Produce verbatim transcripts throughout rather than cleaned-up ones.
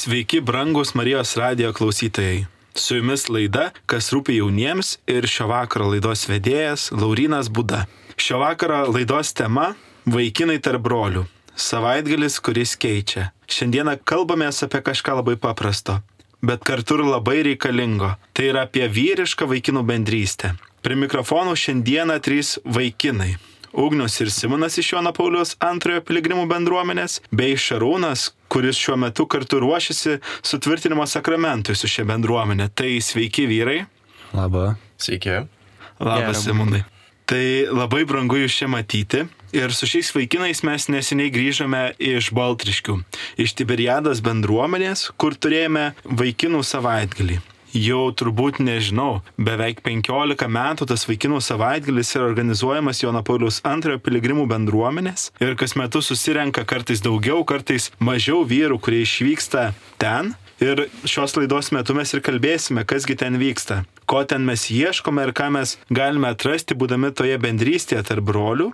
Sveiki, brangus Marijos radijo klausytojai. Su jumis laida, kas rūpi jauniems, ir šio vakaro laidos vedėjas Laurynas Būda. Šio vakaro laidos tema – vaikinai tarp brolių. Savaitgalis, kuris keičia. Šiandieną kalbamės apie kažką labai paprasto, bet kartu ir labai reikalingo. Tai yra apie vyrišką vaikinų bendrystę. Prie mikrofonų šiandieną trys vaikinai. Ugnius ir Simonas iš Jono Pauliaus antrojo piligrimų bendruomenės, bei Šarūnas, kuris šiuo metu kartu ruošiasi sutvirtinimo sakramentui su šia bendruomenė. Tai sveiki vyrai. Labą. Sveiki. Labas, Simonai. Tai labai brangu jūs čia matyti. Ir su šiais vaikinais mes neseniai grįžome iš Baltriškių, iš Tiberiados bendruomenės, kur turėjome vaikinų savaitgalį. Jau turbūt nežinau, beveik penkiolika metų tas vaikinų savaitgalis yra organizuojamas Jono Pauliaus antrojo piligrimų bendruomenės ir kas metu susirenka kartais daugiau, kartais mažiau vyrų, kurie išvyksta ten. Ir šios laidos metu mes ir kalbėsime, kasgi ten vyksta, ko ten mes ieškome ir ką mes galime atrasti, būdami toje bendrystėje tarp brolių.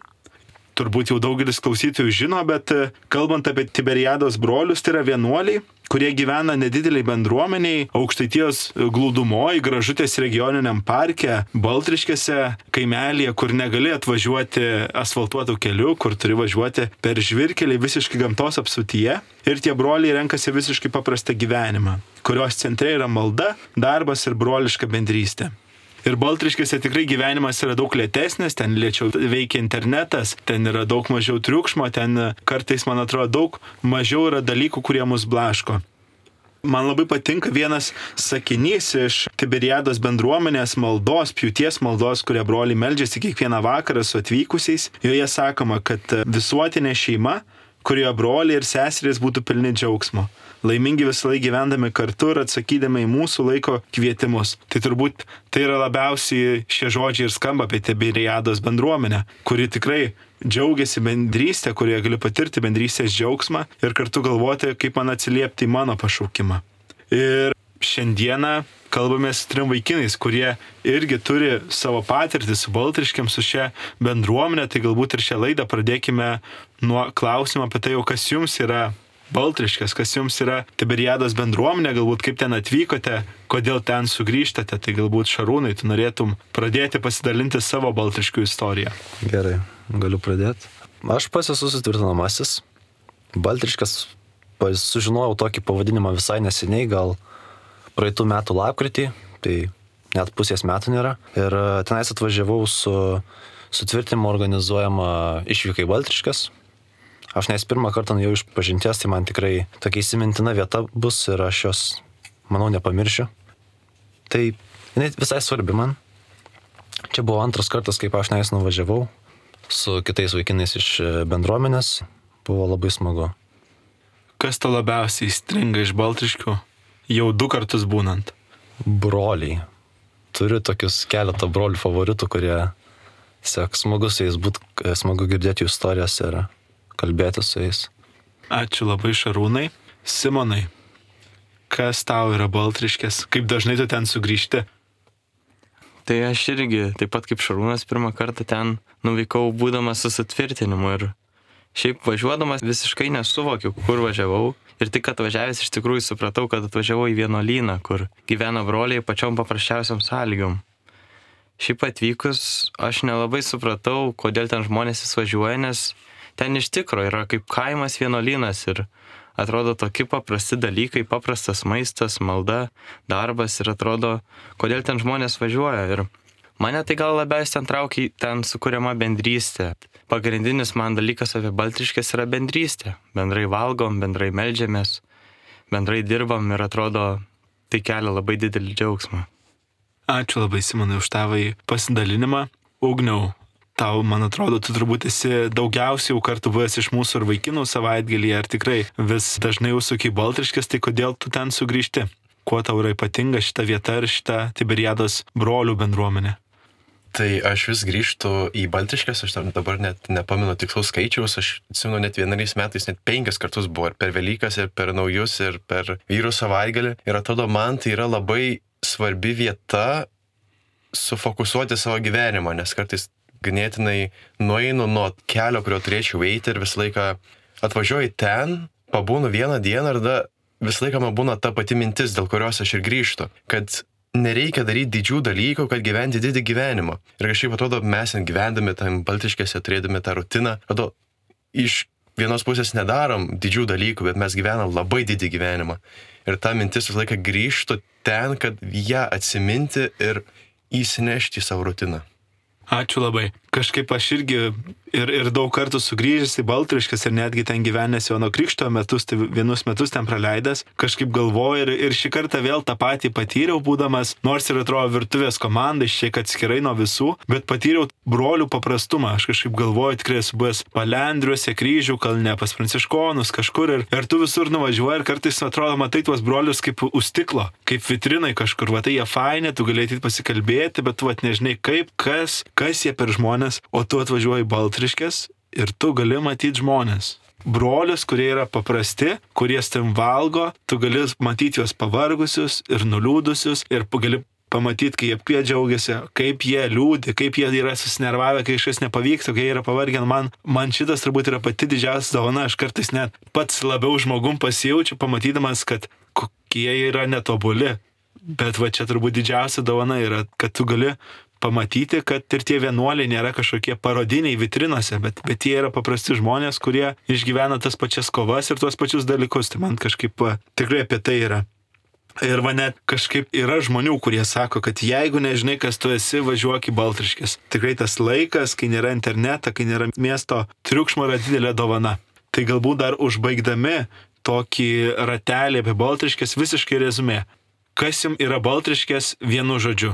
Turbūt jau daugelis klausytojų žino, bet kalbant apie Tiberiados brolius, tai yra vienuoliai, kurie gyvena nedideliai bendruomeniai, Aukštaitijos glūdumoje, Gražutės regioniniam parke, Baltriškėse, kaimelėje, kur negali atvažiuoti asfaltuotų kelių, kur turi važiuoti per žvyrkelį visiškai gamtos apsuptyje. Ir tie broliai renkasi visiškai paprastą gyvenimą, kurios centre yra malda, darbas ir broliška bendrystė. Ir Baltriškėse tikrai gyvenimas yra daug lėtesnis, ten lėčiau veikia internetas, ten yra daug mažiau triukšmo, ten kartais, man atrodo, daug mažiau yra dalykų, kurie mus blaško. Man labai patinka vienas sakinys iš Tiberiados bendruomenės maldos, pjūties maldos, kurie broliai meldžiasi kiekvieną vakarą su atvykusiais. Joje sakoma, kad visuotinė šeima, kurioje broliai ir seserys būtų pilni džiaugsmo. Laimingi visą laiką gyvendami kartu ir atsakydami į mūsų laiko kvietimus. Tai turbūt tai yra labiausiai šie žodžiai ir skamba apie Tiberiados bendruomenę, kuri tikrai džiaugiasi bendrystę, kurioje gali patirti bendrystės džiaugsmą ir kartu galvoti, kaip man atsiliepti į mano pašaukimą. Ir šiandieną kalbamės su trim vaikinais, kurie irgi turi savo patirtį su Baltriškėm, su šia bendruomenė. Tai galbūt ir šią laidą pradėkime nuo klausimo apie tai, jau kas jums yra Baltriškės, kas jums yra Tiberiados bendruomenė, galbūt kaip ten atvykote, kodėl ten sugrįžtate. Tai galbūt Šarūnai, tu norėtum pradėti pasidalinti savo Baltriškių istoriją. Gerai, galiu pradėti. Aš pats esu sutvirtinamasis. Baltriškės sužinojau tokį pavadinimą visai neseniai, gal praeitų metų lapkritį, tai net pusės metų nėra. Ir tenais atvažiavau su sutvirtinimu organizuojama išvyka į Baltriškes. Aš nes pirmą kartą jau iš pažinties, tai man tikrai tokia įsimintina vieta bus ir aš jos, manau, nepamiršiu. Tai jinai visai svarbi man. Čia buvo antras kartas, kaip aš nes nuvažiavau su kitais vaikinais iš bendruomenės. Buvo labai smagu. Kas to labiausiai įstringa iš Baltriškių, jau du kartus būnant? Broliai. Turiu tokius keletą brolių favoritų, kurie tiesiog smagu su jais būt, smagu girdėti jų istorijas ir kalbėti su jais. Ačiū labai, Šarūnai. Simonai, kas tau yra Baltriškės? Kaip dažnai tu ten sugrįžti? Tai aš irgi, taip pat kaip Šarūnas, pirmą kartą ten nuvykau būdamas su sutvirtinimu ir šiaip važiuodamas visiškai nesuvokiau, kur važiavau. Ir tik atvažiavęs iš tikrųjų supratau, kad atvažiavau į vienuolyną, kur gyvena broliai pačiom paprasčiausiam sąlygom. Šiaip atvykus aš nelabai supratau, kodėl ten žmonės vis važiuoja, nes ten iš tikro yra kaip kaimas vienuolynas ir atrodo tokie paprasti dalykai, paprastas maistas, malda, darbas ir atrodo, kodėl ten žmonės važiuoja. Ir mane tai gal labiausiai ten traukia ten sukuriama bendrystė. Pagrindinis man dalykas apie Baltriškes yra bendrystė. Bendrai valgom, bendrai meldžiamės, bendrai dirbam ir atrodo, tai kelia labai didelį džiaugsmą. Ačiū labai, Simonai, už tavo pasidalinimą. Ugniau, tau, man atrodo, tu turbūt esi daugiausiai jau kartu buvęs iš mūsų ir vaikinų savaitgalį, ar tikrai vis dažnai užsuki į Baltriškes, tai kodėl tu ten sugrįžti? Kuo tau yra ypatinga šita vieta ir šita Tiberiados brolių bendruomenė? Tai aš vis grįžtu į Baltriškes, aš dabar net nepamenu tikslaus skaičiaus, aš atsimenu net vienais metais net penkis kartus buvo, ir per Velykas, ir per naujus, ir per vyrų savaitgalį. Ir atrodo, man tai yra labai svarbi vieta sufokusuoti savo gyvenimą, nes kartais ganėtinai nueinu nuo kelio, kurio turėčiau eiti ir visą laiką atvažiuoju ten, pabūnu vieną dieną ir tada visą laiką man būna ta pati mintis, dėl kurios aš ir grįžtu, kad nereikia daryti didžių dalykų, kad gyventi didį gyvenimą. Ir kažkaip atrodo, mes gyvendami tam Baltriškėse, turėdami tą rutiną, atrodo, iš vienos pusės nedarom didžių dalykų, bet mes gyvenam labai didį gyvenimą. Ir ta mintis visą laiką grįžtų ten, kad ją atsiminti ir įsinešti į savo rutiną. Ačiū labai. Kažkaip aš irgi ir, ir daug kartų sugrįžęs į Baltriškes ir netgi ten gyvenęs Jono Krikšto metus, tai vienus metus ten praleidęs, kažkaip galvoju ir, ir šį kartą vėl tą patį patyriau, būdamas, nors ir atrodo virtuvės komanda, šiek atskirai nuo visų, bet patyriau brolių paprastumą. Aš kažkaip galvoju, tikrai esu buvęs Palendriuose, Kryžių kalne, pas Pranciškonus kažkur ir, ir tu visur nuvažiuoji ir kartais atrodo, matai tuos brolius kaip už stiklo, kaip vitrinai kažkur, va tai jie faini, tu galėtum pasikalbėti, bet tu vat nežinai kaip, kas, kas jie per žmonės, o tu atvažiuoji į Baltriškes ir tu gali matyti žmonės. Brolius, kurie yra paprasti, kurie tam valgo, tu gali matyti juos pavargusius ir nuliūdusius ir gali pamatyti, kaip jie džiaugiasi, kaip jie liūdi, kaip jie yra susinervavę, kai kažkas nepavyksta, kai jie yra pavargę. Man, man šitas turbūt yra pati didžiausia dovana, aš kartais net pats labiau žmogum pasijaučiu, pamatydamas, kad kokie yra netobuli. Bet va čia turbūt didžiausia dovana yra, kad tu gali pamatyti, kad ir tie vienuoliai nėra kažkokie parodiniai vitrinose, bet, bet jie yra paprasti žmonės, kurie išgyvena tas pačias kovas ir tuos pačius dalykus. Tai man kažkaip tikrai apie tai yra. Ir va net kažkaip yra žmonių, kurie sako, kad jeigu nežinai, kas tu esi, važiuok į Baltriškes. Tikrai tas laikas, kai nėra interneto, kai nėra miesto triukšmo, yra didelė dovana. Tai galbūt dar užbaigdami tokį ratelį apie Baltriškes visiškai rezumė. Kas jums yra Baltriškes vienu žodžiu?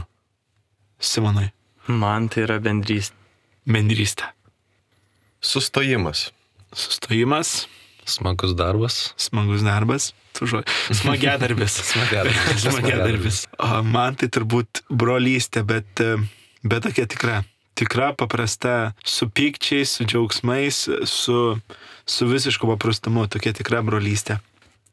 Simonai. Man tai yra bendrystė. Bendrystė. Sustojimas. Sustojimas. Smagus darbas. Smagus darbas. Tu žodžiu. Smagiadarbis. Smagiadarbis. Smagiadarbis. Man tai turbūt brolystė, bet, bet tokia tikra. Tikra, paprasta, su pykčiais, su džiaugsmais, su, su visišku paprastumu. Tokia tikra brolystė.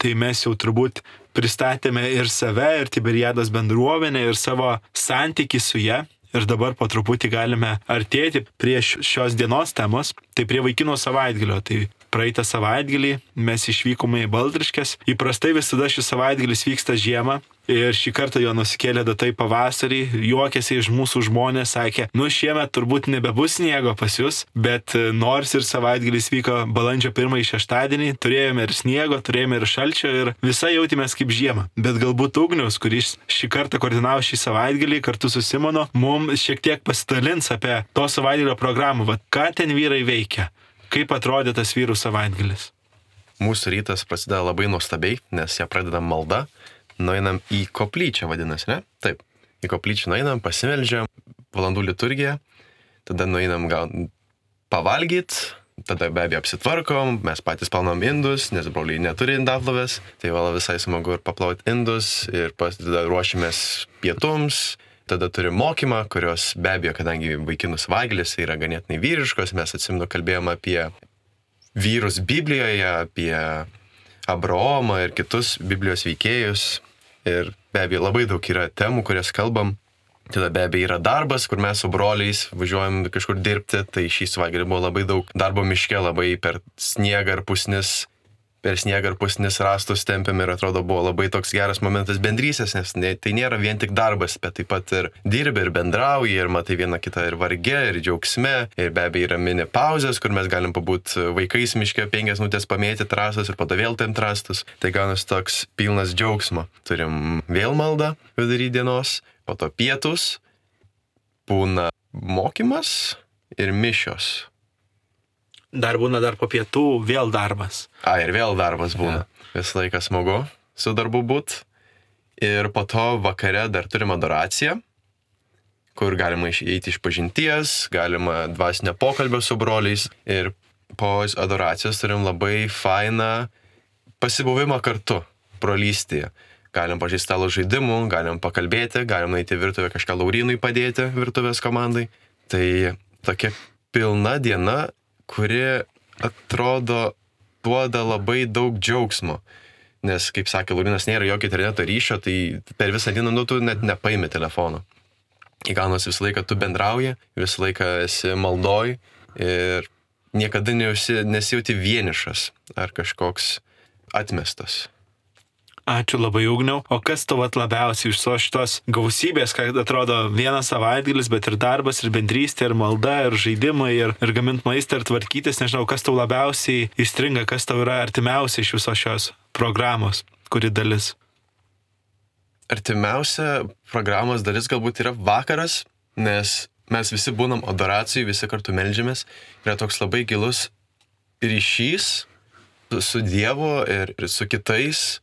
Tai mes jau turbūt pristatėme ir save, ir Tiberiados bendruomenę, ir savo santykį su ja. Ir dabar po truputį galime artėti prie šios dienos temos, tai prie vaikino savaitgalio. Tai praeitą savaitgalį mes išvykome į Baltriškes. Įprastai visada šis savaitgalis vyksta žiemą. Ir šį kartą jo nusikėlė datai pavasarį, juokėsi iš mūsų žmonės, sakė, nu šiemet turbūt nebebus sniego pas jūs, bet nors ir savaitgalis vyko balandžio pirmąjį šeštadienį, turėjome ir sniego, turėjome ir šalčio ir visai jautėmės kaip žiemą. Bet galbūt Ugnius, kuris šį kartą koordinavo šį savaitgalį kartu su Simonu, mums šiek tiek pasidalins apie to savaitgalio programą. Vat ką ten vyrai veikia, kaip atrodė tas vyrų savaitgalis. Mūsų rytas prasideda labai nuostabiai, nes ją pradedam malda. Nueinam į koplyčią, vadinasi, ne? Taip, į koplyčią nueinam, pasimeldžiam, valandų liturgiją, tada nueinam gal pavalgyt, tada be abejo apsitvarkom, mes patys plaunam indus, nes broliai neturi indaplovės, tai vala visai smagu ir paplauti indus, ir pas, tada ruošimės pietums, tada turim mokymą, kurios be abejo, kadangi vaikinų savaitgalis yra ganėtinai vyriškos, mes atsimenu kalbėjom apie vyrus Biblijoje, apie Abraomą ir kitus Biblijos veikėjus. Ir be abejo labai daug yra temų, kurias kalbam. Tada be abejo yra darbas, kur mes su broliais važiuojam kažkur dirbti. Tai šį savaitgalį buvo labai daug darbo miške, labai per sniegą ir pusnis, per sniegą ir pusnis rastus tempėm ir atrodo buvo labai toks geras momentas bendrystės, nes ne, tai nėra vien tik darbas, bet taip pat ir dirbi ir bendrauji ir matai vieną kitą ir varge, ir džiaugsme. Ir be abejo yra mini pauzės, kur mes galim pabūti vaikais miške penkias minutės pamėti trasas ir po to vėl tempt rastus. Tai gaunas toks pilnas džiaugsmo. Turim vėl maldą vidury dienos, po to pietus, būna mokymas ir mišios. Dar būna dar po pietų vėl darbas. A, ir vėl darbas būna. Ja. Visą laiką smagu su darbu būt. Ir po to vakare dar turim adoraciją, kur galima eiti iš pažinties, galima dvasinio pokalbio su broliais. Ir po adoracijos turim labai fainą pasibuvimą kartu, brolystėje. Galim pažaisti stalo žaidimų, galim pakalbėti, galim eiti į virtuvę kažką Laurynui padėti virtuvės komandai. Tai tokia pilna diena, kuri atrodo duoda labai daug džiaugsmo. Nes, kaip sakė Laurinas, nėra jokio interneto ryšio, tai per visą dieną nu, tu net nepaimi telefono. Įgaunas visą laiką tu bendrauji, visą laiką esi maldoj ir niekada neusi, nesijauti vienišas ar kažkoks atmestas. Ačiū labai, Ugniau. O kas tau vat labiausiai iš so šitos gausybės, kad atrodo vienas savaitgalis, bet ir darbas, ir bendrystė, ir malda, ir žaidimai, ir, ir gamint maistą, ir tvarkytis, nežinau, kas tau labiausiai įstringa, kas tau yra artimiausia iš visos šios programos, kuri dalis? Artimiausia programos dalis galbūt yra vakaras, nes mes visi būnam adoracijai, visi kartu meldžiamės. Yra toks labai gilus ryšys su Dievu ir, ir su kitais.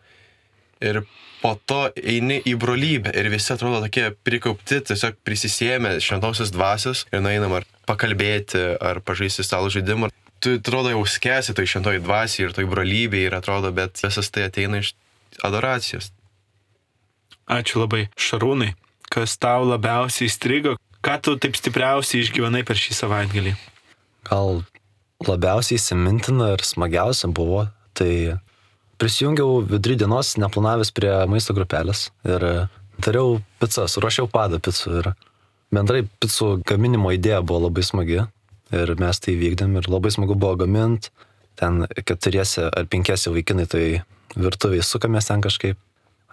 Ir po to eini į brolybę ir visi atrodo tokie prikaupti, tiesiog prisisėmę šventosios dvasios ir nueinam ar pakalbėti, ar pažaisti stalo žaidimą. Tu atrodo jau skęsi toj šventoj dvasiai ir toj brolybėje ir atrodo, bet visas tai ateina iš adoracijos. Ačiū labai. Šarūnai, kas tau labiausiai įstrigo, ką tu taip stipriausiai išgyvenai per šį savaitgalį? Gal labiausiai įsimintina ir smagiausia buvo, tai prisijungiau vidury dienos, neplanavęs prie maisto grupelės ir dariau picas, ruošiau padą picų ir bendrai picų gaminimo idėja buvo labai smagi ir mes tai vykdėm ir labai smagu buvo gaminti, ten keturiese ar penkiese vaikinai tai virtuviai sukamės ten kažkaip,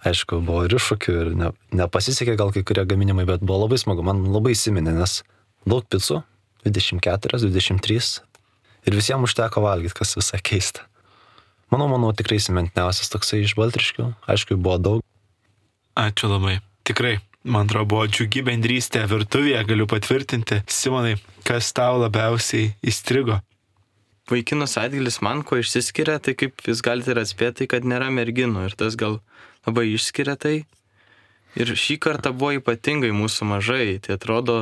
aišku, buvo ir iššūkių ir ne, nepasisekė gal kai kurie gaminimai, bet buvo labai smagu, man labai įsiminė, nes daug picų, dvidešimt keturios, dvidešimt trys ir visiems užteko valgyti, kas visai keista. Manau, manau, tikrai įsimintiniausias toksai iš Baltriškių. Aišku, buvo daug. Ačiū labai. Tikrai, man atrodo, buvo džiugi bendrystė virtuvėje, galiu patvirtinti. Simonai, kas tau labiausiai įstrigo? Vaikinų savaitgalis man ko išsiskiria, tai kaip jūs galite ir atspėti, kad nėra merginų ir tas gal labai išskiria tai. Ir šį kartą buvo ypatingai mūsų mažai. Tai atrodo,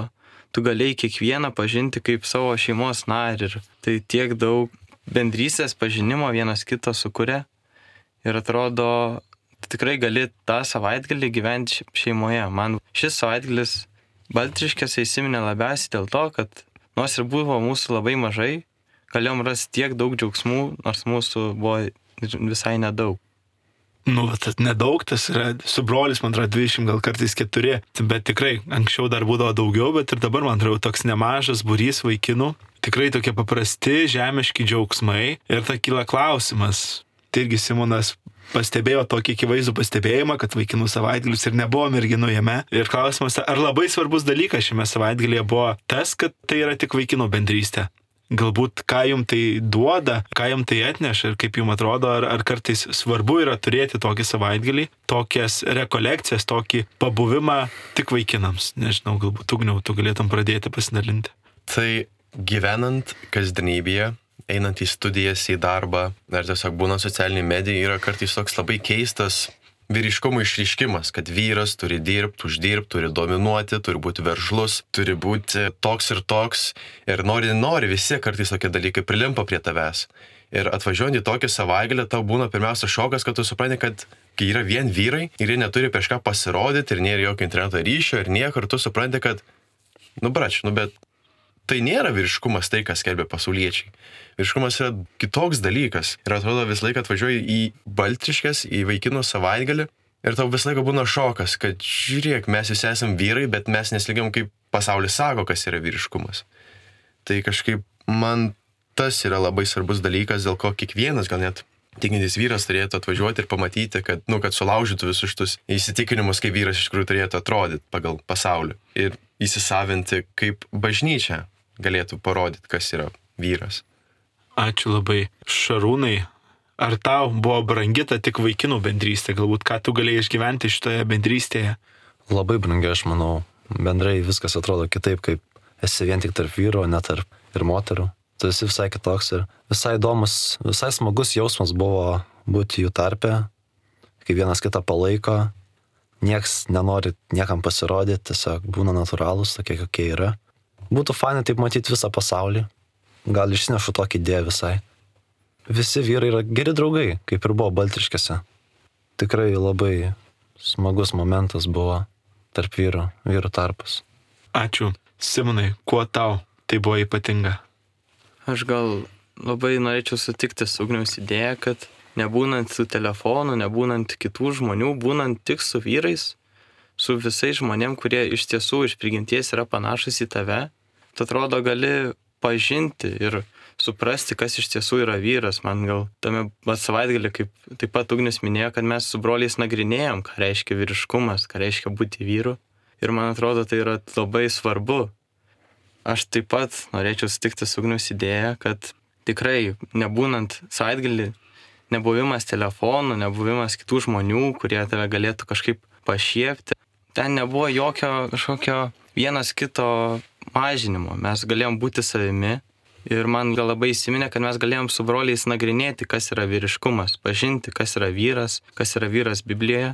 tu galėjai kiekvieną pažinti kaip savo šeimos narį ir tai tiek daug bendrystės pažinimo vienas kito sukuria ir atrodo, tikrai gali tą savaitgalį gyventi šeimoje. Man šis savaitgalis Baltriškėse įsiminė labiausiai dėl to, kad nors ir buvo mūsų labai mažai, galėjom rasti tiek daug džiaugsmų, nors mūsų buvo visai nedaug. Nu, tas nedaug, tas yra su brolis, man atrodo, dvidešimt, gal kartais keturi, bet tikrai anksčiau dar būdavo daugiau, bet ir dabar, man atrodo, toks nemažas būrys vaikinų. Tikrai tokie paprasti, žemiški džiaugsmai ir ta kyla klausimas. Tai irgi Simonas pastebėjo tokį akivaizdų pastebėjimą, kad vaikinų savaitgalis ir nebuvo merginų jame. Ir klausimas, ar labai svarbus dalykas šiame savaitgalyje buvo tas, kad tai yra tik vaikinų bendrystė. Galbūt ką jums tai duoda, ką jums tai atneša ir kaip jums atrodo, ar, ar kartais svarbu yra turėti tokį savaitgalį, tokias rekolekcijas, tokį pabuvimą tik vaikinams. Nežinau, galbūt Ugniau, tu galėtum pradėti pasidalinti. Tai gyvenant kasdienybėje, einant į studijas, į darbą, ar tiesiog būnant socialiniai medijai, yra kartais toks labai keistas vyriškumo išryškimas, kad vyras turi dirbti, uždirbti, turi dominuoti, turi būti veržlus, turi būti toks ir toks. Ir nori, nori, visi kartais tokie dalykai prilimpa prie tavęs. Ir atvažiuojant į tokį savaitgalį, tau būna pirmiausia šokas, kad tu supranti, kad kai yra vien vyrai ir jie neturi prieš ką pasirodyti ir nėra jokio interneto ryšio ir nieko, ir tu supranti, kad, nu brač, nu bet tai nėra vyriškumas tai, kas skelbia pasauliečiai. Vyriškumas yra kitoks dalykas. Ir atrodo, visą laiką atvažiuoji į Baltriškes, į vaikinų savaitgalį ir tau visą laiką būna šokas, kad žiūrėk, mes visi esam vyrai, bet mes neslygiam, kaip pasaulis sako, kas yra vyriškumas. Tai kažkaip man tas yra labai svarbus dalykas, dėl ko kiekvienas gal net tikintis vyras turėtų atvažiuoti ir pamatyti, kad, nu, kad sulaužytų visus šitus įsitikinimus, kaip vyras iš tikrųjų turėtų atrodyti pagal pasaulį. Ir įsisavinti, kaip bažnyčia galėtų parodyti, kas yra vyras. Ačiū labai. Šarūnai, ar tau buvo brangi ta tik vaikinų bendrystė? Galbūt ką tu galėjai išgyventi šitoje bendrystėje? Labai brangi, aš manau. Bendrai viskas atrodo kitaip, kaip esi vien tik tarp vyro, ne tarp ir moterų. Tu esi visai kitoks ir visai įdomus, visai smagus jausmas buvo būti jų tarpe, kai vienas kitą palaiko, nieks nenori niekam pasirodyti, tiesiog būna natūralūs, tokie kokie yra. Būtų fainai taip matyti visą pasaulį. Gal išsinešu tokį idėją visai. Visi vyrai yra geri draugai, kaip ir buvo Baltriškėse. Tikrai labai smagus momentas buvo tarp vyrų, vyrų tarpas. Ačiū. Simonai, kuo tau tai buvo ypatinga? Aš gal labai norėčiau sutikti su Ugniaus idėja, kad nebūnant su telefonu, nebūnant kitų žmonių, būnant tik su vyrais, su visais žmonėm, kurie iš tiesų iš prigimties yra panašus į tave, tu atrodo gali pažinti ir suprasti, kas iš tiesų yra vyras. Man gal tame savaitgalį, kaip taip pat Ugnius minėjo, kad mes su broliais nagrinėjom, ką reiškia vyriškumas, ką reiškia būti vyru. Ir man atrodo, tai yra labai svarbu. Aš taip pat norėčiau sutikti su Ugniaus idėja, kad tikrai nebūnant savaitgalį, nebuvimas telefonų, nebuvimas kitų žmonių, kurie tave galėtų kažkaip pašiepti, ten nebuvo jokio kažkokio vienas kito mažinimo. Mes galėjom būti savimi ir man gal labai įsiminė, kad mes galėjom su broliais nagrinėti, kas yra vyriškumas, pažinti, kas yra vyras, kas yra vyras Biblijoje.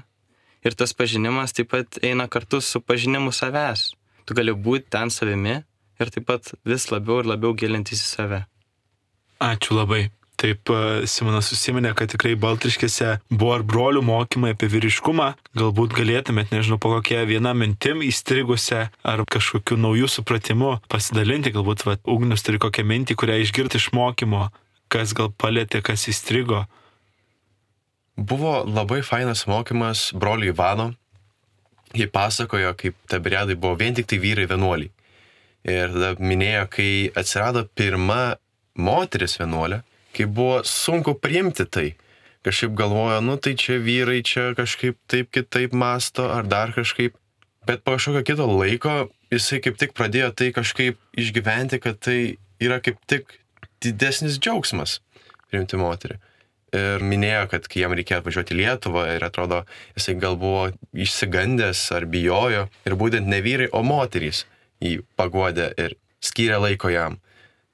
Ir tas pažinimas taip pat eina kartu su pažinimu savęs. Tu gali būti ten savimi ir taip pat vis labiau ir labiau gilintis į save. Ačiū labai. Taip, Simonas užsiminė, kad tikrai Baltriškėse buvo ir brolių mokymai apie vyriškumą. Galbūt galėtumėt, nežinau, po kokią vieną mintim įstrigusią ar kažkokiu naujų supratimu pasidalinti. Galbūt va, Ugnius turi kokią mintį, kurią išgirti iš mokymo, kas gal palėtė, kas įstrigo. Buvo labai fainas mokymas brolių Ivano. Jie pasakojo, kaip Tiberiadai buvo vien tik tai vyrai vienuoliai. Ir tada minėjo, kai atsirado pirma moteris vienuolė, kai buvo sunku priimti tai. Kažkaip galvojo, nu tai čia vyrai čia kažkaip taip kitaip masto ar dar kažkaip. Bet po kažkokio kito laiko jisai kaip tik pradėjo tai kažkaip išgyventi, kad tai yra kaip tik didesnis džiaugsmas priimti moterį. Ir minėjo, kad kai jam reikėjo atvažiuoti į Lietuvą ir atrodo, jisai gal buvo išsigandęs ar bijojo. Ir būtent ne vyrai, o moterys jį paguodė ir skyrė laiko jam.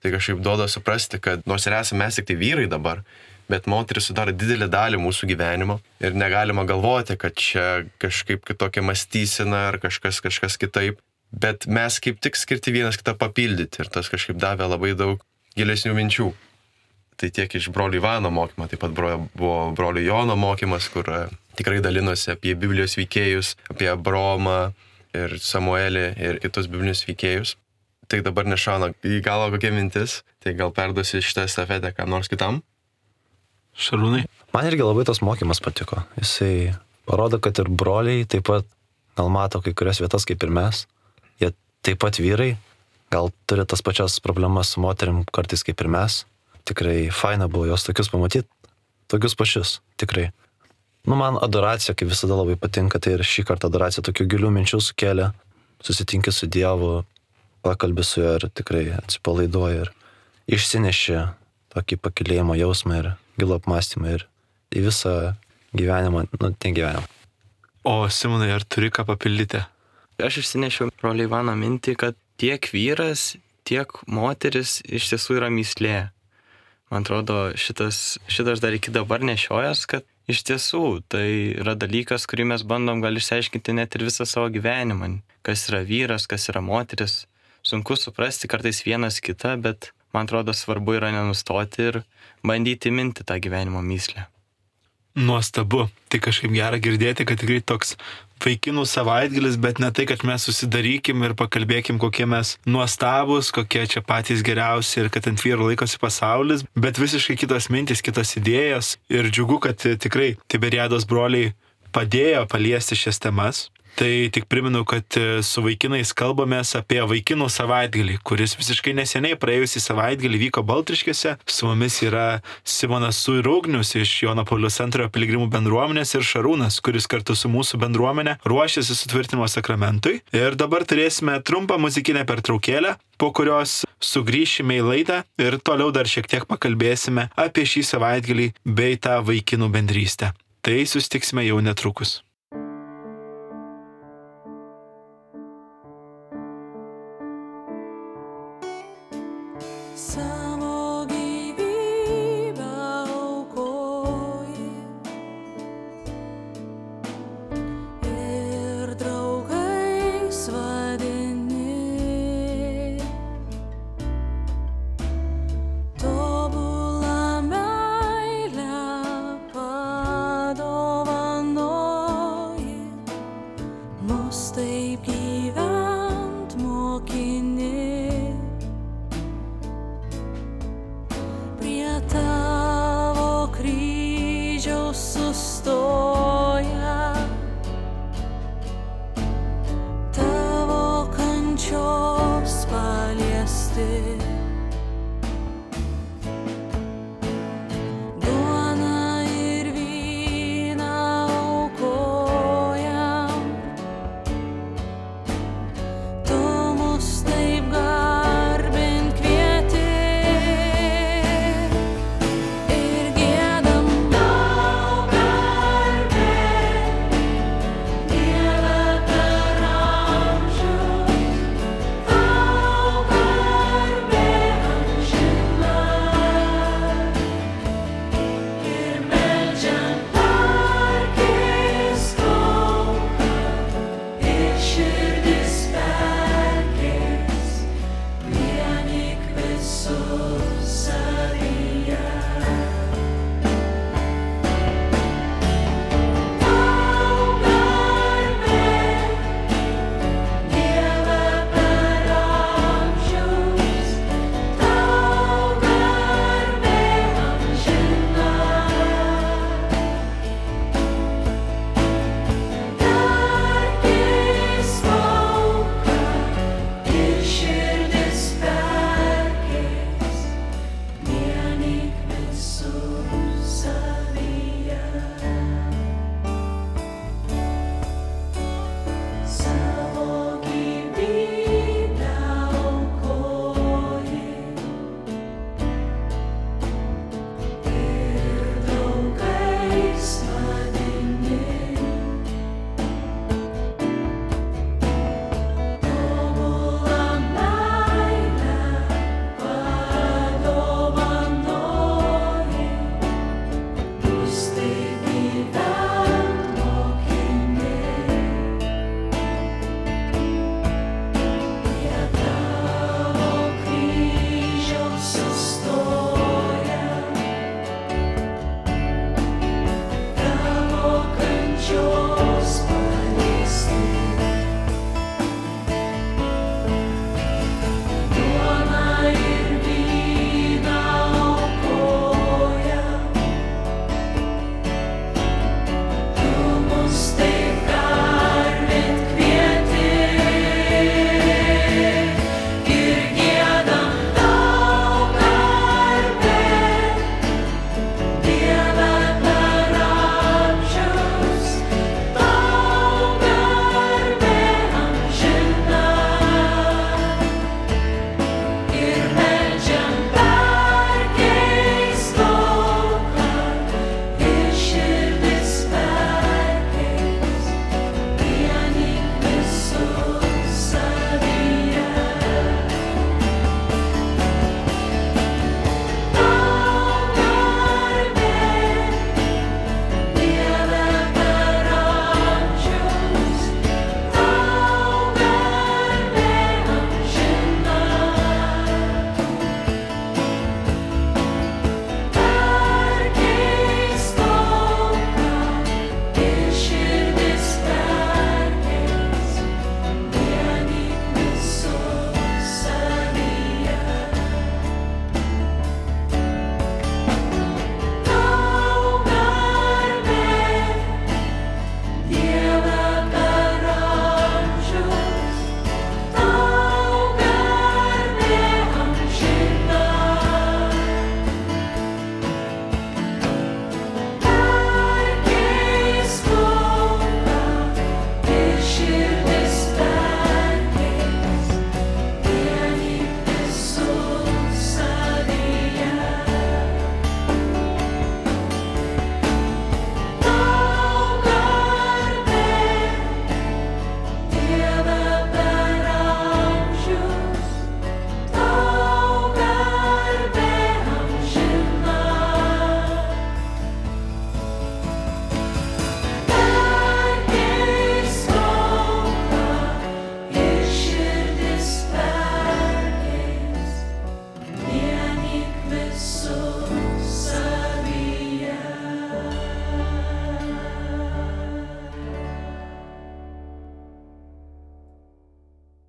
Tai kažkaip duoda suprasti, kad nors ir esame mes tik tai vyrai dabar, bet moteris sudaro didelį dalį mūsų gyvenimo ir negalima galvoti, kad čia kažkaip kitokia mąstysena ar kažkas, kažkas kitaip, bet mes kaip tik skirti vienas kitą papildyti ir tas kažkaip davė labai daug gilesnių minčių. Tai tiek iš brolių Ivano mokymo, taip pat buvo brolių Jono mokymas, kur tikrai dalinosi apie Biblijos veikėjus, apie Abraomą ir Samuelį ir kitus biblinius veikėjus. Tai dabar nešauna į galvą kokia mintis, tai gal perduosi šitą estafetę kam nors kitam? Šarūnai. Man irgi labai tas mokymas patiko. Jisai parodo, kad ir broliai taip pat gal mato kai kurias vietas kaip ir mes. Jie taip pat vyrai, gal turi tas pačias problemas su moterim kartais kaip ir mes. Tikrai faina buvo jos tokius pamatyti, tokius pačius, tikrai. Nu, man adoracija, kaip visada labai patinka, tai ir šį kartą adoracija tokių gilių minčių sukelia. Susitinki su Dievu, pakalbi su juo ir tikrai atsipalaiduoji ir išsineši tokį pakylėjimo jausmą ir gilų apmąstymą ir į visą gyvenimą, nu, ten gyvenimą. O Simonai, ar turi ką papildyti? Aš išsinešiau brolį Ivaną mintį, kad tiek vyras, tiek moteris iš tiesų yra mįslė. Man atrodo, šitas, šitas dar iki dabar nešiojas, kad iš tiesų tai yra dalykas, kurį mes bandom gal išsiaiškinti net ir visą savo gyvenimą. Kas yra vyras, kas yra moteris. Sunku suprasti kartais vienas kitą, bet man atrodo svarbu yra nenustoti ir bandyti minti tą gyvenimo mįslę. Nuostabu. Tai kažkaip gera girdėti, kad tikrai toks vaikinų savaitgalis, bet ne tai, kad mes susidarykim ir pakalbėkim, kokie mes nuostabus, kokie čia patys geriausi ir kad ant vyrų laikosi pasaulis, bet visiškai kitos mintis, kitos idėjos. Ir džiugu, kad tikrai Tiberiados broliai padėjo paliesti šias temas. Tai tik primenu, kad su vaikinais kalbamės apie vaikinų savaitgalį, kuris visiškai neseniai praėjusį savaitgalį vyko Baltriškėse. Su mumis yra Simonas ir Ugnius iš Jono Pauliaus antrojo piligrimų bendruomenės ir Šarūnas, kuris kartu su mūsų bendruomenė ruošiasi sutvirtinimo sakramentui. Ir dabar turėsime trumpą muzikinę pertraukėlę, po kurios sugrįšime į laidą ir toliau dar šiek tiek pakalbėsime apie šį savaitgalį bei tą vaikinų bendrystę. Tai susitiksime jau netrukus. Tobulą meilę padovanojai.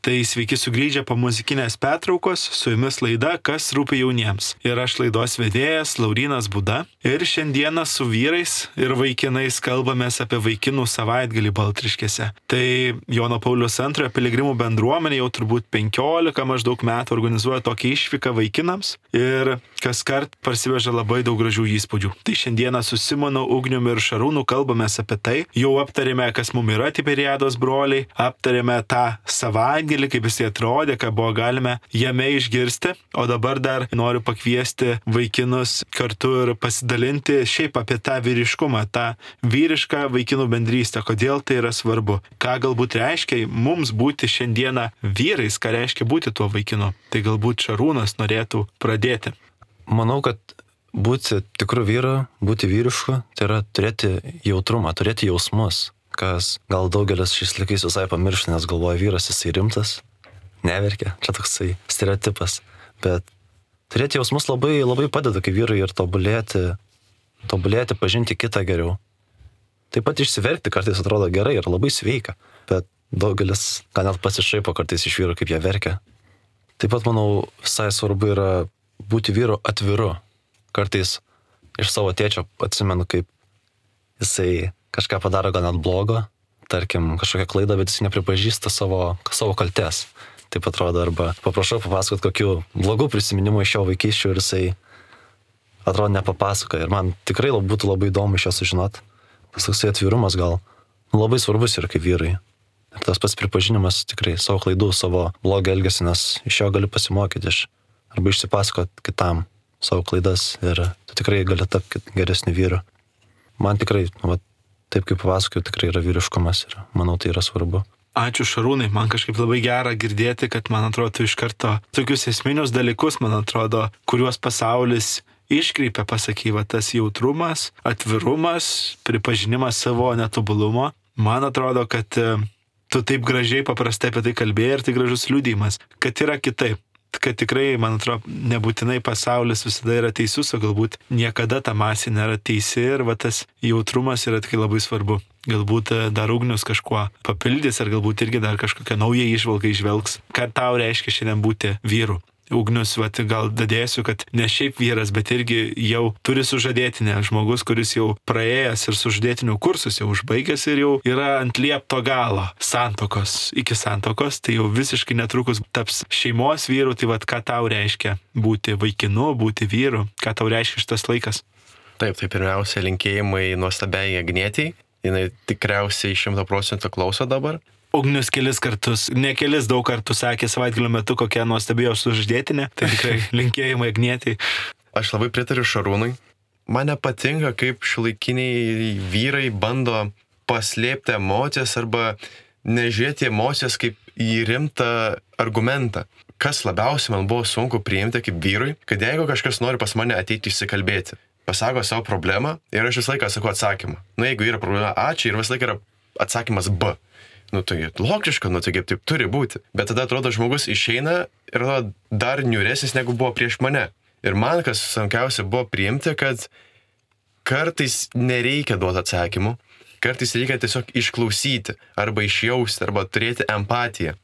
Tai sveiki sugrįžę po muzikinės pertraukos, su jumis laida Kas rūpi jauniems. Ir aš laidos vedėjas Laurynas Buda. Ir šiandieną su vyrais ir vaikinais kalbamės apie vaikinų savaitgalį Baltriškėse. Tai Jono Pauliaus antrojo piligrimų bendruomenė jau turbūt penkiolika maždaug metų organizuoja tokią išvyką vaikinams ir kaskart parsiveža labai daug gražių įspūdžių. Tai šiandieną su Simonu, Ugniumi ir Šarūnu kalbamės apie tai. Jau aptarėme, kas mum yra Tiberiados broliai, aptarėme tą savaitgalį, kaip jis atrodė, ką buvo galime jame išgirsti, o dabar dar noriu pakviesti vaikinus kartu ir pasidalinti šiaip apie tą vyriškumą, tą vyrišką vaikinų bendrystę, kodėl tai yra svarbu, ką galbūt reiškia mums būti šiandieną vyrais, ką reiškia būti tuo vaikinu. Tai galbūt Šarūnas norėtų pradėti. Manau, kad būti tikru vyru, būti vyrišku, tai yra turėti jautrumą, turėti jausmus, kas gal daugelis šiais laikais visai pamiršta, nes galvoja vyras jisai rimtas, neverkia, čia toksai stereotipas, bet turėti jausmus labai, labai padeda kaip vyrai ir tobulėti, tobulėti, pažinti kitą geriau. Taip pat išsiverkti kartais atrodo gerai ir labai sveika, bet daugelis gal net pasišaipo kartais iš vyrų, kaip jie verkia. Taip pat, manau, visai svarbu yra būti vyru atviru. Kartais iš savo tėčio atsimenu, kaip jisai kažką padaro gal net blogo, tarkim kažkokią klaidą, bet jis nepripažįsta savo, savo kaltės. Taip atrodo, arba paprašau papasakot kokių blogų prisiminimų iš jo vaikystės ir jisai atrodo nepapasakoja. Ir man tikrai būtų labai įdomu iš jo sužinot. Tas toksai atvirumas gal labai svarbus yra kaip vyrai. Ir tas pats pripažinimas tikrai savo klaidų, savo blogio elgesį, nes iš jo gali pasimokyti iš, arba išsipasakot kitam savo klaidas ir tu tikrai gali tapti geresniu vyru. Man tikrai, va, taip kaip papasakojau, tikrai yra vyriškumas ir manau tai yra svarbu. Ačiū Šarūnai, man kažkaip labai gera girdėti, kad man atrodo tu iš karto tokius esminius dalykus, man atrodo, kuriuos pasaulis iškreipia, pasakyva, tas jautrumas, atvirumas, pripažinimas savo netobulumo. Man atrodo, kad tu taip gražiai paprastai apie tai kalbėjai ir tai gražus liudijimas, kad yra kitaip. Kad tikrai, man atrodo, nebūtinai pasaulis visada yra teisus, o galbūt niekada ta masė nėra teisi ir va tas jautrumas yra tikrai labai svarbu. Galbūt dar Ugnius kažkuo papildys ar galbūt irgi dar kažkokią naują įžvalgą išvelgs. Ką tau reiškia šiandien būti vyru? Ugnius, va, gal dadėsiu, kad ne šiaip vyras, bet irgi jau turi sužadėtinę. Žmogus, kuris jau praėjęs ir sužadėtinių kursus jau užbaigęs ir jau yra ant liepto galo santokos, iki santokos, tai jau visiškai netrukus taps šeimos vyru. Tai va, ką tau reiškia būti vaikinu, būti vyru, ką tau reiškia šitas laikas? Taip, tai pirmiausia linkėjimai nuostabiai Agnietei. Jinai tikriausiai šimto procentų klauso dabar. Ugnius kelis kartus, ne kelis daug kartų sakė savaitgalio metu, kokia nuostabėjo sužadėtinė, tai tikrai linkėjimai Agnietei. Aš labai pritariu Šarūnui. Man nepatinka, kaip šiuolaikiniai vyrai bando paslėpti emocijas arba nežiūrėti emocijas kaip į rimtą argumentą. Kas labiausiai man buvo sunku priimti kaip vyrui, kad jeigu kažkas nori pas mane ateiti išsikalbėti, pasako savo problemą ir aš visą laiką sakau atsakymą. Nu, jeigu yra problema A, čia ir visą laiką yra atsakymas B. Nu, tai logiška, nu, tai kaip taip turi būti. Bet tada atrodo, žmogus išeina ir atrodo dar niūresnis, negu buvo prieš mane. Ir man, kas sunkiausia buvo priimti, kad kartais nereikia duoti atsakymų, kartais reikia tiesiog išklausyti, arba išjausti, arba turėti empatiją.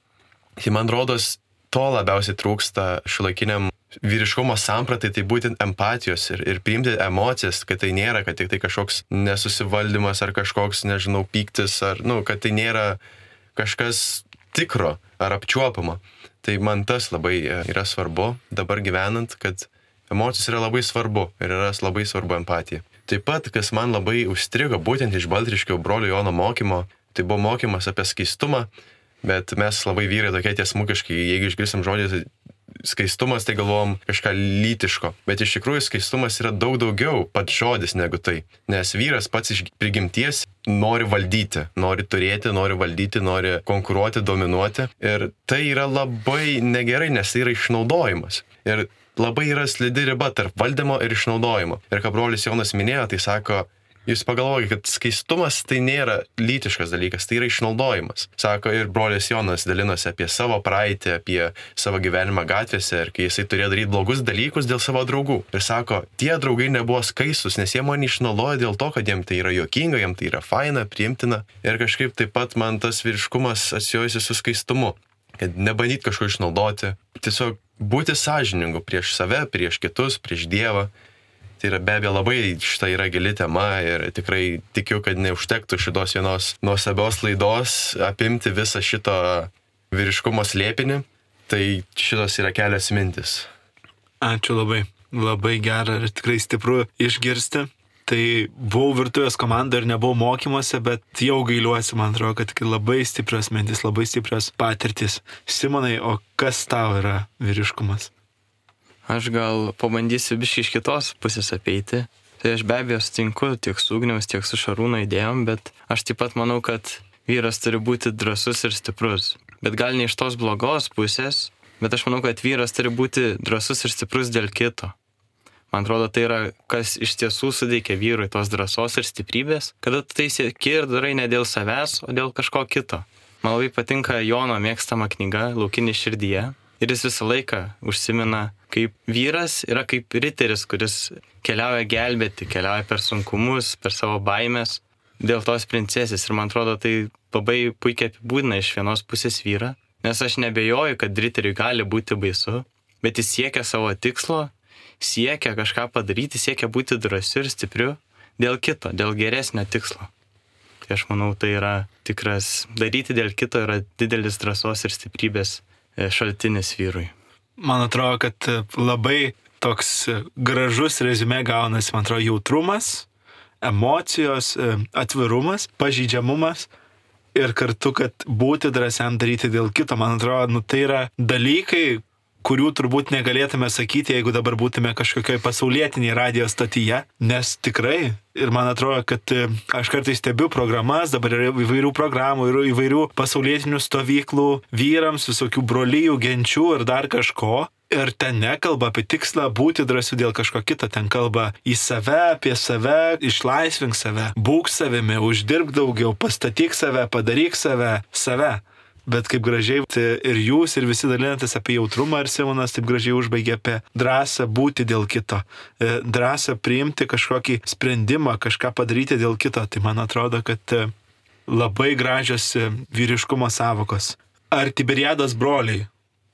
Tai man rodos, to labiausiai trūksta šiuolaikiniam vyriškumo sampratai, tai būtent empatijos ir, ir priimti emocijas, kad tai nėra, kad tik tai kažkoks nesusivaldymas ar kažkoks, nežinau, pyktis, ar, nu, kad tai nėra kažkas tikro ar apčiuopamo. Tai man tas labai yra svarbu dabar gyvenant, kad emocijos yra labai svarbu ir yra labai svarbu empatija. Taip pat, kas man labai užstrigo būtent iš Baltriškio brolio Jono mokymo, tai buvo mokymas apie skaistumą, bet mes labai vyrai tokie tiesmukiškai, jeigu išgirsim žodį skaistumas, tai galvom kažką lytiško. Bet iš tikrųjų skaistumas yra daug daugiau pats žodis negu tai. Nes vyras pats iš prigimties nori valdyti, nori turėti, nori valdyti, nori konkuruoti, dominuoti. Ir tai yra labai negerai, nes tai yra išnaudojimas. Ir labai yra slidi riba tarp valdymo ir išnaudojimo. Ir ką brolis Jonas minėjo, tai sako, jūs pagalvokite, kad skaistumas tai nėra lytiškas dalykas, tai yra išnaudojimas. Sako, ir brolis Jonas dalinosi apie savo praeitį, apie savo gyvenimą gatvėse ir kai jisai turėjo daryti blogus dalykus dėl savo draugų. Ir sako, tie draugai nebuvo skaistus, nes jie mane išnaudojo dėl to, kad jiem tai yra juokinga, jiem tai yra faina, priimtina. Ir kažkaip taip pat man tas vyriškumas atsijojusi su skaistumu. kad nebandyt kažko išnaudoti, tiesiog būti sąžiningu prieš save, prieš kitus, prieš Dievą. Tai yra be abejo labai šita yra gili tema ir tikrai tikiu, kad neužtektų šitos vienos nuostabios laidos apimti visą šito vyriškumo slėpinį. Tai šitos yra kelios mintis. Ačiū labai. Labai gera ir tikrai stipru išgirsti. Tai buvau virtuvės komanda ir nebuvau mokymuose, bet jau gailiuosi, man atrodo, kad labai stiprios mintis, labai stiprios patirtis. Simonai, o kas tau yra vyriškumas? Aš gal pabandysiu biškai iš kitos pusės apeiti. Tai aš be abejo sutinku tiek su Ugniaus, tiek su Šarūno idėjom, bet aš taip pat manau, kad vyras turi būti drąsus ir stiprus. Bet gal ne iš tos blogos pusės, bet aš manau, kad vyras turi būti drąsus ir stiprus dėl kito. Man atrodo, tai yra, kas iš tiesų sudeikia vyrui tos drąsos ir stiprybės, kada tu tai sieki ir darai ne dėl savęs, o dėl kažko kito. Man labai patinka Jono mėgstama knyga Laukinė širdyje ir jis visą laiką užsimena, kaip vyras yra kaip riteris, kuris keliauja gelbėti, keliauja per sunkumus, per savo baimės dėl tos princesės. Ir man atrodo, tai labai puikiai apibūdina iš vienos pusės vyrą, nes aš nebejoju, kad riteriui gali būti baisu, bet jis siekia savo tikslo, siekia kažką padaryti, siekia būti drąsiu ir stipriu dėl kito, dėl geresnio tikslo. Tai aš manau, tai yra tikras, daryti dėl kito yra didelis drąsos ir stiprybės šaltinis vyrui. Man atrodo, kad labai toks gražus reziumė gaunasi, man atrodo, jautrumas, emocijos, atvirumas, pažeidžiamumas ir kartu, kad būti drąsiam daryti dėl kito. Man atrodo, nu, tai yra dalykai, kurių turbūt negalėtume sakyti, jeigu dabar būtume kažkokioj pasaulietiniai radijo stotyje, nes tikrai, ir man atrodo, kad aš kartais stebiu programas, dabar yra įvairių programų, yra įvairių pasaulietinių stovyklų vyrams, visokių brolijų, genčių ir dar kažko, ir ten nekalba apie tikslą būti drąsiu dėl kažko kito, ten kalba į save, apie save, išlaisvink save, būk savimi, uždirbk daugiau, pastatyk save, padaryk save, save. Bet kaip gražiai ir jūs, ir visi dalinatės apie jautrumą, ir Simonas taip gražiai užbaigė apie drąsą būti dėl kito, drąsą priimti kažkokį sprendimą, kažką padaryti dėl kito. Tai man atrodo, kad labai gražios vyriškumo savokos. Ar Tiberiados broliai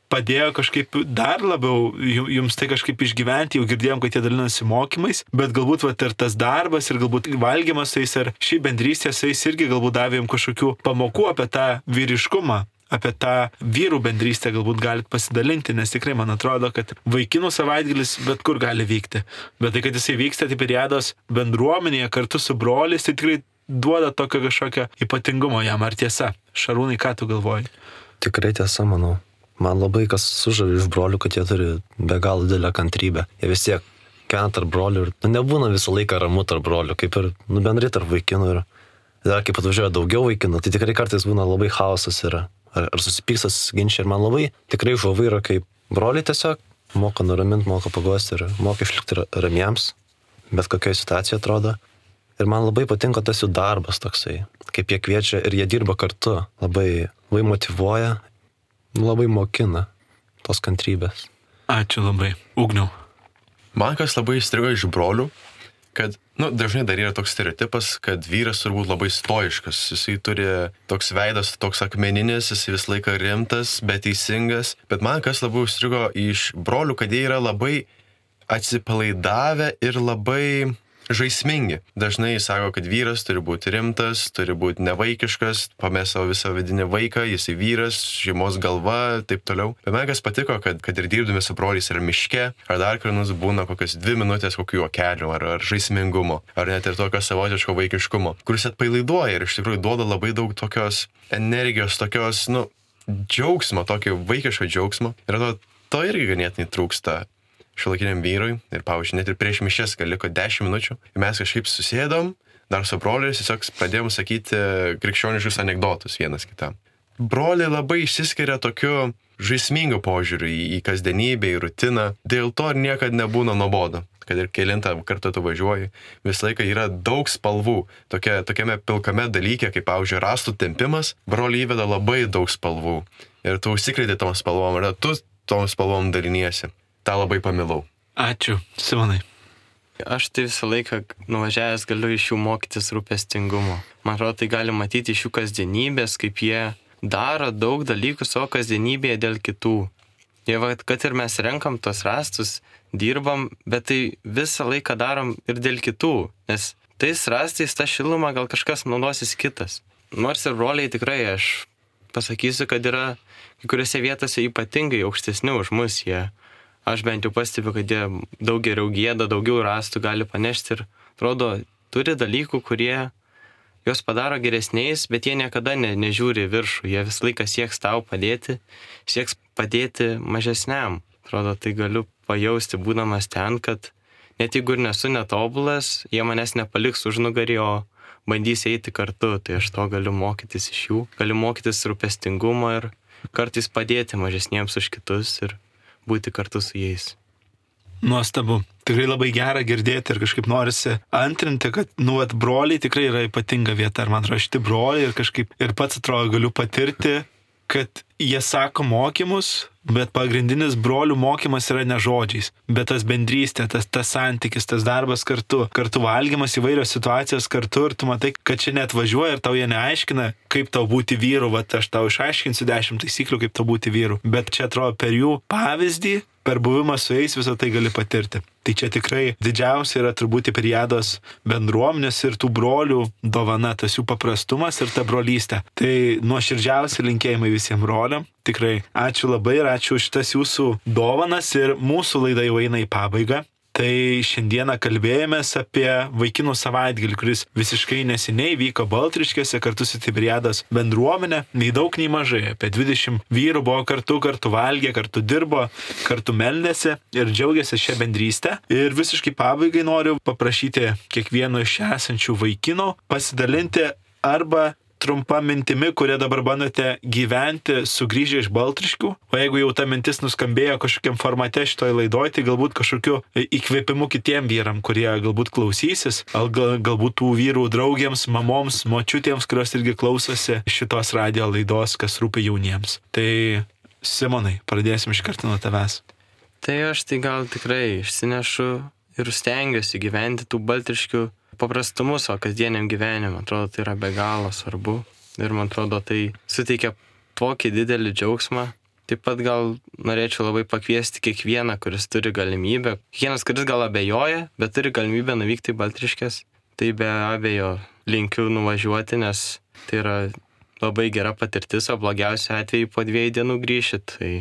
padėjo kažkaip dar labiau jums tai kažkaip išgyventi, jau girdėjom, kad jie dalinasi mokymais, bet galbūt vat, ir tas darbas, ir galbūt valgymas su jais, ar ši bendrystė su jais irgi galbūt davė jums kažkokių pamokų apie tą vyriškumą, apie tą vyrų bendrystę galbūt galit pasidalinti, nes tikrai man atrodo, kad vaikinų savaitgalis bet kur gali vykti. Bet tai, kad jisai vyksta Tiberiados bendruomenėje kartu su broliais, tai tikrai duoda tokio kažkokio ypatingumo jam. Ar tiesa? Šarūnai, ką tu galvoji? Tikrai tiesa, manau. Man labai kas sužavi iš brolių, kad jie turi be galo didelę kantrybę. Jie vis tiek kena tarp brolių ir nu, nebūna visą laiką ramu tarp brolių, kaip ir nu, bendrai tarp vaikinų. Ir dar kaip atvažiuoja daugiau vaikinų, tai tikrai kartais būna labai chaosas yra. Ar, ar susipyksas ginčiai. Ir man labai tikrai žavu yra, kaip broliai tiesiog moka nuraminti, moka paguosti ir moka išlikti ramiems, bet kokioje situacijoje atrodo. Ir man labai patinka tas jų darbas toksai, kaip jie kviečia ir jie dirba kartu. Labai, labai motyvuoja. Labai mokina tos kantrybės. Ačiū labai. Ugniau. Man kas labai įstrigo iš brolių, kad, nu, dažnai dar yra toks stereotipas, kad vyras turbūt labai stoiškas. Jisai turi toks veidas, toks akmeninis, jisai vis laiką rimtas, bet teisingas. Bet man kas labai įstrigo iš brolių, kad jie yra labai atsipalaidavę ir labai žaismingi. Dažnai sako, kad vyras turi būti rimtas, turi būti nevaikiškas, pamės savo visą vidinį vaiką, jisai vyras, šeimos galva, taip toliau. Bet man kas patiko, kad, kad ir dirbdami su broliais ar miške, ar dar karnus būna kokias dvi minutės kokių juokelių, ar, ar žaismingumo, ar net ir tokio savotiško vaikiškumo, kuris atpalaiduoja ir iš tikrųjų duoda labai daug tokios energijos, tokios, nu, džiaugsmo, tokio vaikiško džiaugsmo. Ir to, to irgi ganėtinai trūksta šiuolaikiniam vyrui. Ir, pavyzdžiui, net ir prieš mišias, kai liko dešimt minučių, ir mes kažkaip susėdom, dar su broliais tiesiog pradėjom sakyti krikščioniškus anekdotus vienas kitam. Broliai labai išsiskiria tokiu žaismingu požiūriu į, į kasdienybę, į rutiną. Dėl to ir niekad nebūna nuobodu. Kad ir kelintą kartą tu važiuoji, visą laiką yra daug spalvų. Tokia, tokiame pilkame dalyke, kaip, pavyzdžiui, rąstų tempimas, broliai įveda labai daug spalvų. Ir tu užsikrėti tom spalvom, ir tu tom spalvom daliniesi. Ta labai pamilau. Ačiū, Simonai. Aš tai visą laiką nuvažiavęs galiu iš jų mokytis rūpestingumo. Man atrodo, tai gali matyti iš jų kasdienybės, kaip jie daro daug dalykų savo kasdienybėje dėl kitų. Jie, va, kad ir mes renkam tos rastus, dirbam, bet tai visą laiką darom ir dėl kitų, nes tais rastais tą šilumą gal kažkas naudosis kitas. Nors ir broliai tikrai, aš pasakysiu, kad yra kai kuriuose vietose ypatingai aukštesni už mus. Jie, aš bent jau pastebiu, kad jie daug geriau gieda, daugiau rastų gali panešti ir, atrodo, turi dalykų, kurie juos padaro geresniais, bet jie niekada ne, nežiūri viršų. Jie visą laiką sieks tau padėti, sieks padėti mažesniam. Atrodo, tai galiu pajausti, būdamas ten, kad net jeigu ir nesu netobulas, jie manęs nepaliks už nugarį, o bandys eiti kartu. Tai aš to galiu mokytis iš jų, galiu mokytis rūpestingumo ir kartais padėti mažesniems už kitus ir būti kartu su jais. Nuostabu. Tikrai labai gera girdėti ir kažkaip norisi antrinti, kad, nu, at broliai tikrai yra ypatinga vieta. Ir man atrodo, šitie broliai ir kažkaip ir pats atrodo galiu patirti, kad jie sako mokymus, bet pagrindinis brolių mokymas yra ne žodžiais, bet tas bendrystė, tas, tas santykis, tas darbas kartu, kartu valgymas, įvairios situacijos kartu ir tu matai, kad čia net važiuoja ir tau jie neaiškina, kaip tau būti vyru, va aš tau išaiškinsiu dešimt taisyklių, kaip tau būti vyru, bet čia atrodo per jų pavyzdį, per buvimą su jais visą tai gali patirti. Tai čia tikrai didžiausia yra turbūt Tiberiados bendruomenės ir tų brolių dovana, tas jų paprastumas ir ta brolystė. Tai nuoširdžiausi linkėjimai visiems broliam. Tikrai ačiū labai ir ačiū už šitas jūsų dovanas ir mūsų laida jau eina į pabaigą. Tai šiandieną kalbėjomės apie vaikinų savaitgalį, kuris visiškai neseniai vyko Baltriškėse kartu su Tiberiados bendruomenė. Nei daug, nei mažai. Apie dvidešimt vyrų buvo kartu, kartu valgė, kartu dirbo, kartu meldėsi ir džiaugiasi šią bendrystę. Ir visiškai pabaigai noriu paprašyti kiekvieno iš esančių vaikinų pasidalinti arba trumpa mintimi, kurie dabar bandote gyventi sugrįžę iš Baltriškių. O jeigu jau ta mintis nuskambėjo kažkokiam formate šitoj laidoj, tai galbūt kažkokiu įkvėpimu kitiem vyram, kurie galbūt klausysis, gal, galbūt tų vyrų draugiams, mamoms, močiutėms, kurios irgi klausosi šitos radio laidos, kas rūpi jauniems. Tai Simonai, pradėsim iš karto nuo tavęs. Tai aš tai gal tikrai išsinešu ir stengiuosi gyventi tų Baltriškių paprastumu savo kasdieniam gyvenimui. Atrodo, tai yra be galo svarbu ir man atrodo, tai suteikia tokį didelį džiaugsmą. Taip pat gal norėčiau labai pakviesti kiekvieną, kuris turi galimybę, kiekvienas, kuris gal abejoja, bet turi galimybę nuvykti į Baltriškes, tai be abejo linkiu nuvažiuoti, nes tai yra labai gera patirtis, o blogiausiu atveju po dviejų dienų grįšit, tai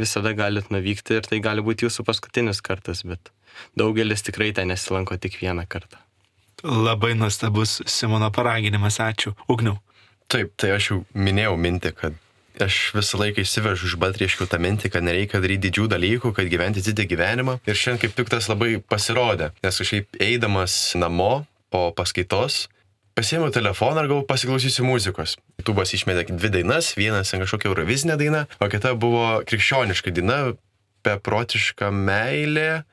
visada galit nuvykti ir tai gali būti jūsų paskutinis kartas, bet daugelis tikrai ten nesilanko tik vieną kartą. Labai nuostabus Simono paraginimas, ačiū. Ugniau. Taip, tai aš jau minėjau mintį, kad aš visą laiką įsivežu iš Baltriškių tą mintį, kad nereikia daryti didžių dalykų, kad gyventi didį gyvenimą. Ir šiandien kaip tik tas labai pasirodė, nes kažkaip eidamas namo po paskaitos, pasiėmiau telefoną ir galvoju, pasiklausysiu muzikos. YouTube'as išmetė dvi dainas, vienas kažkokia eurovizinė daina, o kita buvo krikščioniška daina, beprotiška meilė,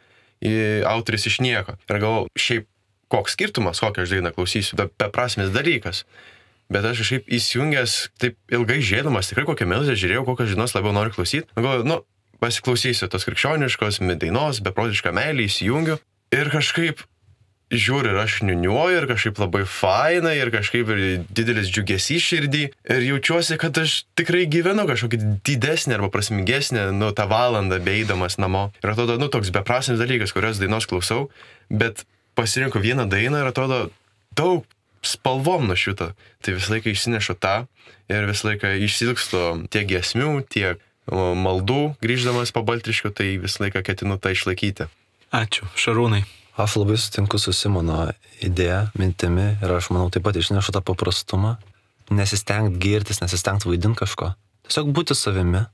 autoris iš nieko. Ir galvoju, šiaip koks skirtumas, kokią aš dainą klausysiu, beprasmis dalykas. Bet aš kažkaip įsijungęs, taip ilgai žiūrėdamas, tikrai kokią melodiją žiūrėjau, kokią žinos labiau noriu klausyti. Galvoju, nu, pasiklausysiu tos krikščioniškos dainos, beprotišką meilę, įsijungiu. Ir kažkaip žiūriu ir aš niuniuoju, ir kažkaip labai faina, ir kažkaip ir didelis džiugesys širdį. Ir jaučiuosi, kad aš tikrai gyvenu kažkokį didesnį arba prasmingesnį, nu, tą valandą beeidamas namo. Ir atrodo, nu, toks beprasmis dalykas, kurios dainos klausau, bet pasirinkau vieną dainą ir atrodo daug spalvom nušvito. Tai visą laiką išsinešu tą ir visą laiką išsilgstu tiek giesmių, tiek maldų grįždamas po Baltriškių, tai visą laiką ketinu tą išlaikyti. Ačiū. Šarūnai. Aš labai sutinku su Simono idėja, mintimi ir aš manau taip pat išnešu tą paprastumą. Nesistengt girtis, nesistengt vaidinti kažko. Tiesiog būti savimi.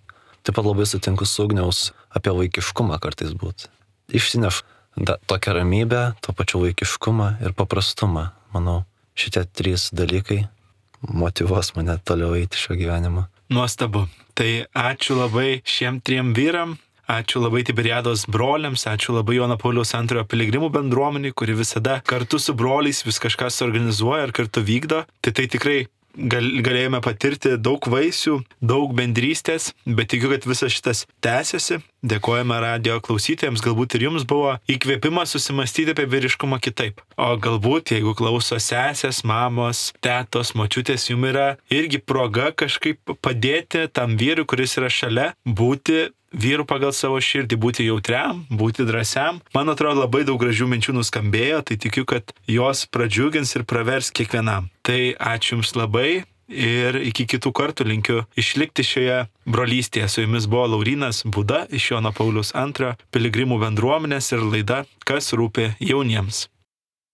Taip pat labai sutinku su Ugniaus apie vaikiškumą kartais būti. Išsinešu Da, tokią ramybę, to pačiu vaikiškumą ir paprastumą. Manau, šitie trys dalykai motyvuos mane toliau eiti šio gyvenimo. Nuostabu. Tai ačiū labai šiem triem vyram, ačiū labai Tiberiados broliams, ačiū labai Jono Pauliaus antrojo piligrimų bendruomeniai, kuri visada kartu su broliais vis kažką suorganizuoja ir kartu vykdo. Tai tai tikrai gal, galėjome patirti daug vaisių, daug bendrystės, bet tikiu, kad visas šitas tęsiasi. Dėkojame radio klausytojams, galbūt ir jums buvo įkvėpimas susimastyti apie vyriškumą kitaip. O galbūt, jeigu klauso sesės, mamos, tetos, močiutės, jums yra irgi proga kažkaip padėti tam vyrui, kuris yra šalia, būti vyru pagal savo širdį, būti jautriam, būti drąsiam. Man atrodo, labai daug gražių minčių nuskambėjo, tai tikiu, kad jos pradžiugins ir pravers kiekvienam. Tai ačiū Jums labai ir iki kitų kartų linkiu išlikti šioje brolystėje. Su Jumis buvo Laurynas Būda iš Jono Pauliaus antrojo piligrimų bendruomenės ir laida Kas rūpi jauniems.